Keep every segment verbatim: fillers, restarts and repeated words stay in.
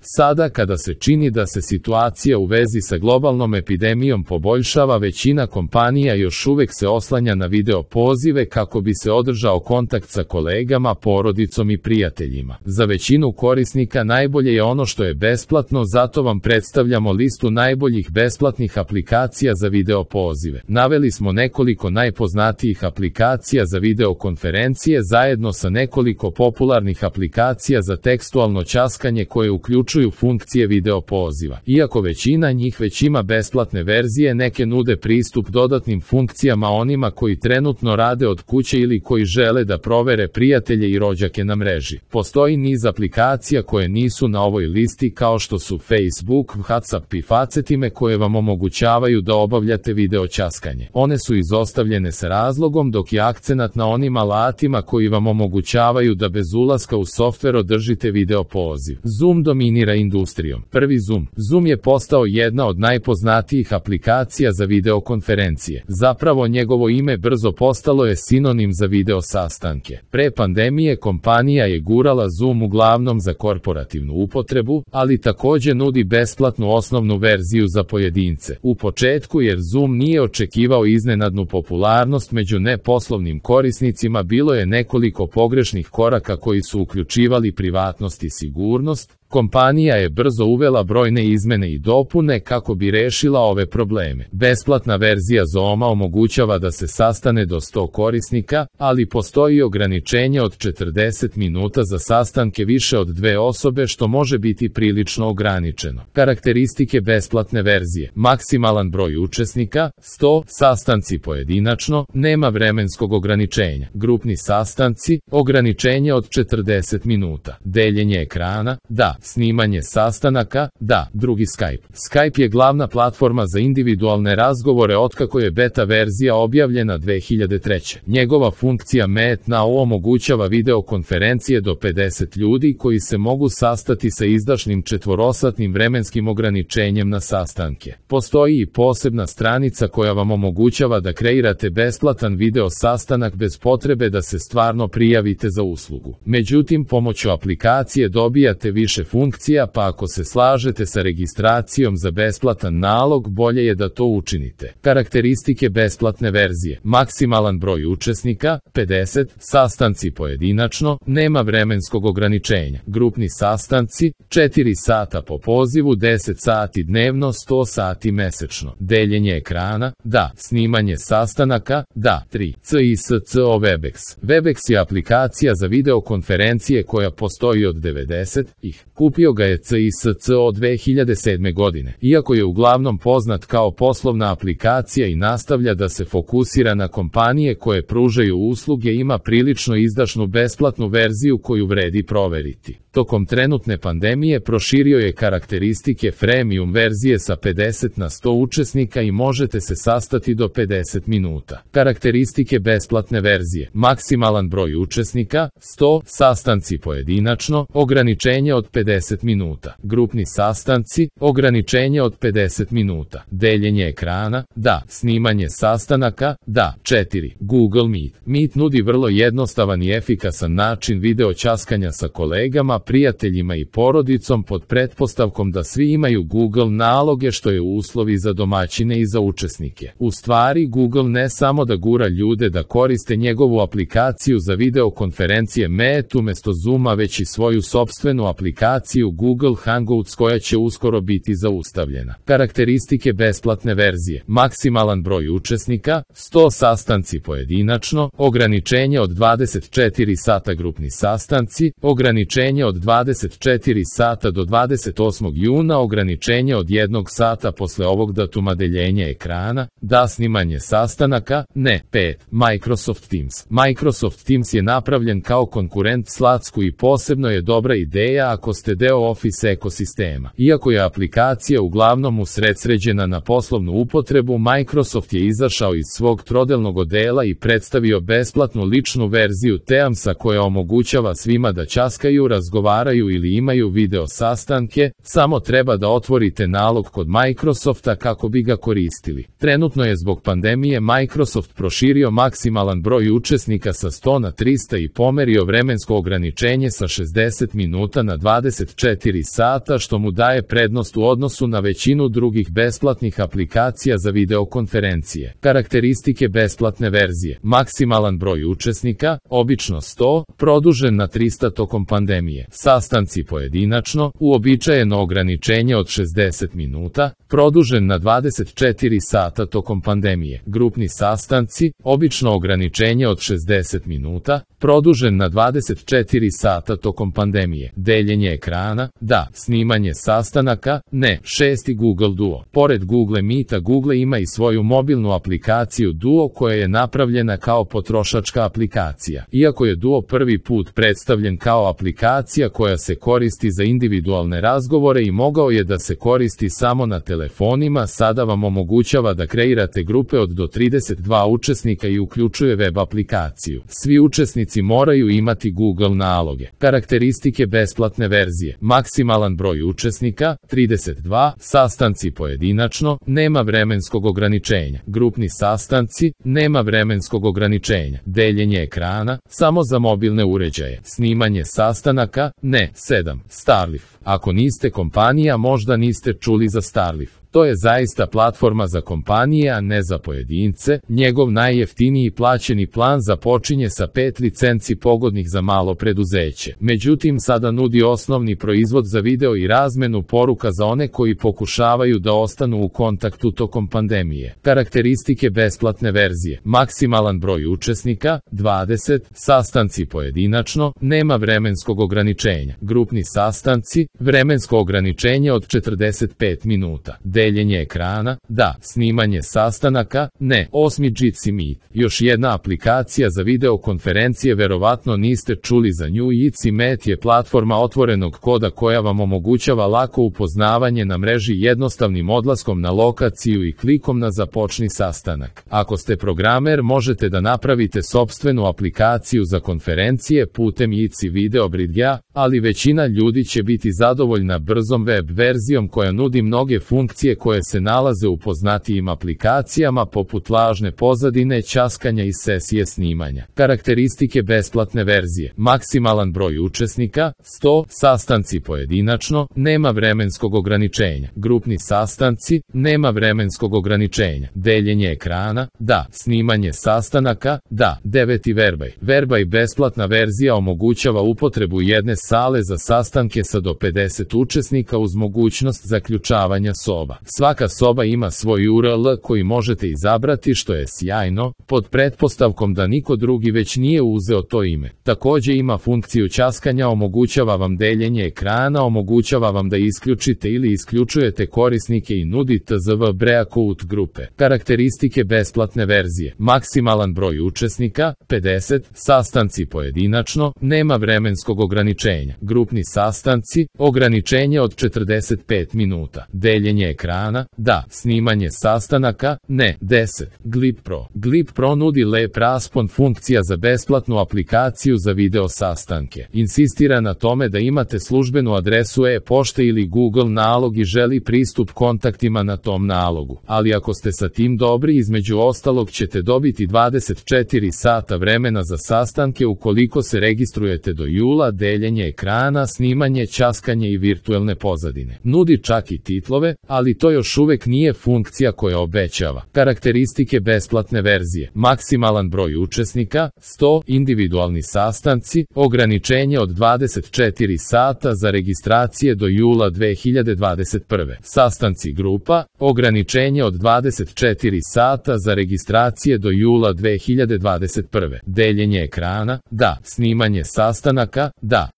Sada kada se čini da se situacija u vezi sa globalnom epidemijom poboljšava, većina kompanija još uvek se oslanja na video pozive kako bi se održao kontakt sa kolegama, porodicom i prijateljima. Za većinu korisnika najbolje je ono što je besplatno, zato vam predstavljamo listu najboljih besplatnih aplikacija za video pozive. Naveli smo nekoliko najpoznatijih aplikacija za videokonferencije zajedno sa nekoliko popularnih aplikacija za tekstualno ćaskanje koje uključuju funkcije video poziva. Iako većina njih već ima besplatne verzije, neke nude pristup dodatnim funkcijama onima koji trenutno rade od kuće ili koji žele da provere prijatelje i rođake na mreži. Postoji niz aplikacija koje nisu na ovoj listi kao što su Facebook, WhatsApp i Facetime koje vam omogućavaju da obavljate video ćaskanje. One su izostavljene sa razlogom, dok je akcenat na onim alatima koji vam omogućavaju da bez ulaska u softver održite video poziv. Zoom dominira industrijom. Prvi Zoom. Zoom je postao jedna od najpoznatijih aplikacija za videokonferencije. Zapravo njegovo ime brzo postalo je sinonim za video sastanke. Pre pandemije kompanija je gurala Zoom uglavnom za korporativnu upotrebu, ali takođe nudi besplatnu osnovnu verziju za pojedince. U početku, jer Zoom nije očekivao iznenadnu popularnost među neposlovnim korisnicima, bilo je nekoliko pogrešnih koraka koji su uključivali privatnost i sigurnost. Kompanija je brzo uvela brojne izmene i dopune kako bi rešila ove probleme. Besplatna verzija Zooma omogućava da se sastane do sto korisnika, ali postoji ograničenje od četrdeset minuta za sastanke više od dve osobe, što može biti prilično ograničeno. Karakteristike besplatne verzije: maksimalan broj učesnika sto, sastanci pojedinačno, nema vremenskog ograničenja. Grupni sastanci, ograničenje od četrdeset minuta. Deljenje ekrana, da. Snimanje sastanaka, da. Drugi Skype. Skype je glavna platforma za individualne razgovore otkako je beta verzija objavljena dve hiljade treće. Njegova funkcija Meet Now omogućava videokonferencije do pedeset ljudi koji se mogu sastati sa izdašnim četvorosatnim vremenskim ograničenjem na sastanke. Postoji i posebna stranica koja vam omogućava da kreirate besplatan video sastanak bez potrebe da se stvarno prijavite za uslugu. Međutim, pomoću aplikacije dobijate više funkcija, pa ako se slažete sa registracijom za besplatan nalog, bolje je da to učinite. Karakteristike besplatne verzije: maksimalan broj učesnika pedeset, sastanci pojedinačno, nema vremenskog ograničenja. Grupni sastanci četiri sata po pozivu, deset sati dnevno, sto sati mesečno. Deljenje ekrana, da. Snimanje sastanaka, da. tri. C I S C O Webex. Webex je aplikacija za videokonferencije koja postoji od devedesetih. Kupio ga je C I S C O dve hiljade sedme godine. Iako je uglavnom poznat kao poslovna aplikacija i nastavlja da se fokusira na kompanije koje pružaju usluge, ima prilično izdašnu besplatnu verziju koju vredi proveriti. Tokom trenutne pandemije proširio je karakteristike freemium verzije sa pedeset na sto učesnika i možete se sastati do pedeset minuta. Karakteristike besplatne verzije: maksimalan broj učesnika sto, sastanci pojedinačno, ograničenje od pedeset minuta. Grupni sastanci, ograničenje od pedeset minuta. Deljenje ekrana, da. Snimanje sastanaka, da. četiri. Google Meet. Meet nudi vrlo jednostavan i efikasan način video ćaskanja sa kolegama, prijateljima i porodicom pod pretpostavkom da svi imaju Google naloge, što je uslovi za domaćine i za učesnike. U stvari, Google ne samo da gura ljude da koriste njegovu aplikaciju za videokonferencije Meet umesto Zooma, već i svoju sopstvenu aplikaciju Google Hangouts koja će uskoro biti zaustavljena. Karakteristike besplatne verzije: maksimalan broj učesnika sto, sastanci pojedinačno, ograničenje od dvadeset četiri sata. Grupni sastanci, ograničenje od dvadeset četiri sata do dvadeset osmog juna, ograničenje od jednog sata posle ovog datuma. Deljenje ekrana, da. Snimanje sastanaka, ne. pet. Microsoft Teams. Microsoft Teams je napravljen kao konkurent Slacku i posebno je dobra ideja ako ste deo Office ekosistema. Iako je aplikacija uglavnom usredsređena na poslovnu upotrebu, Microsoft je izašao iz svog trodelnog odela i predstavio besplatnu ličnu verziju Teamsa koja omogućava svima da ćaskaju, razgovaraju razgovaraju ili imaju video sastanke, samo treba da otvorite nalog kod Microsofta kako bi ga koristili. Trenutno je zbog pandemije Microsoft proširio maksimalan broj učesnika sa sto na trista i pomerio vremensko ograničenje sa šezdeset minuta na dvadeset četiri sata, što mu daje prednost u odnosu na većinu drugih besplatnih aplikacija za videokonferencije. Karakteristike besplatne verzije: maksimalan broj učesnika, obično sto, produžen na trista tokom pandemije. Sastanci pojedinačno, uobičajeno ograničenje od šezdeset minuta, produžen na dvadeset četiri sata tokom pandemije. Grupni sastanci, obično ograničenje od šezdeset minuta, produžen na dvadeset četiri sata tokom pandemije. Deljenje ekrana, da. Snimanje sastanaka, ne. Šesti Google Duo. Pored Google Meeta, Google ima i svoju mobilnu aplikaciju Duo koja je napravljena kao potrošačka aplikacija. Iako je Duo prvi put predstavljen kao aplikacija koja se koristi za individualne razgovore i mogao je da se koristi samo na telefonima, sada vam omogućava da kreirate grupe od do trideset dva učesnika i uključuje web aplikaciju. Svi učesnici moraju imati Google naloge. Karakteristike besplatne verzije: maksimalan broj učesnika, trideset dva, sastanci pojedinačno, nema vremenskog ograničenja. Grupni sastanci, nema vremenskog ograničenja. Deljenje ekrana, samo za mobilne uređaje. Snimanje sastanaka, ne. sedam. Starleaf. Ako niste kompanija, možda niste čuli za Starleaf. To je zaista platforma za kompanije, a ne za pojedince. Njegov najjeftiniji plaćeni plan započinje sa pet licenci pogodnih za malo preduzeće. Međutim, sada nudi osnovni proizvod za video i razmenu poruka za one koji pokušavaju da ostanu u kontaktu tokom pandemije. Karakteristike besplatne verzije: maksimalan broj učesnika, dvadeset, sastanci pojedinačno, nema vremenskog ograničenja. Grupni sastanci, vremensko ograničenje od četrdeset pet minuta. Deljenje ekrana, da. Snimanje sastanaka, ne. Osmi Jitsi Meet. Još jedna aplikacija za videokonferencije, verovatno niste čuli za nju. Jitsi Meet je platforma otvorenog koda koja vam omogućava lako upoznavanje na mreži jednostavnim odlaskom na lokaciju i klikom na započni sastanak. Ako ste programer, možete da napravite sopstvenu aplikaciju za konferencije putem Jitsi Video Bridgea, ali većina ljudi će biti zadovoljna brzom web verzijom koja nudi mnoge funkcije koje se nalaze u poznatijim aplikacijama poput lažne pozadine, ćaskanja i sesije snimanja. Karakteristike besplatne verzije: maksimalan broj učesnika, sto, sastanci pojedinačno, nema vremenskog ograničenja. Grupni sastanci, nema vremenskog ograničenja. Deljenje ekrana, da. Snimanje sastanaka, da. deveti Verbaj. Verbaj besplatna verzija omogućava upotrebu jedne sale za sastanke sa do pedeset učesnika uz mogućnost zaključavanja soba. Svaka soba ima svoj U R L koji možete izabrati, što je sjajno, pod pretpostavkom da niko drugi već nije uzeo to ime. Takođe ima funkciju ćaskanja, omogućava vam deljenje ekrana, omogućava vam da isključite ili isključujete korisnike i nudi T Z V breakout grupe. Karakteristike besplatne verzije: maksimalan broj učesnika, pedeset, sastanci pojedinačno, nema vremenskog ograničenja. Grupni sastanci, ograničenje od četrdeset pet minuta. Deljenje ekrana, da. Snimanje sastanaka, ne. deset. Glip Pro. Glip Pro nudi lep raspon funkcija za besplatnu aplikaciju za video sastanke. Insistira na tome da imate službenu adresu e-pošte ili Google nalog i želi pristup kontaktima na tom nalogu. Ali ako ste sa tim dobri, između ostalog ćete dobiti dvadeset četiri sata vremena za sastanke ukoliko se registrujete do jula. Deljenje ekrana, snimanje, ćaskanje i virtuelne pozadine. Nudi čak i titlove, ali to još uvek nije funkcija koja obećava. Karakteristike besplatne verzije: maksimalan broj učesnika, sto, individualni sastanci, ograničenje od dvadeset četiri sata za registracije do jula dve hiljade dvadeset prve. Sastanci grupa, ograničenje od dvadeset četiri sata za registracije do jula dve hiljade dvadeset prve. Deljenje ekrana, da. Snimanje sastanaka, da.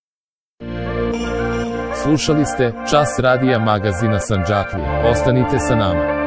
Slušali ste Čas radija magazina Sandžaklija. Ostanite sa nama.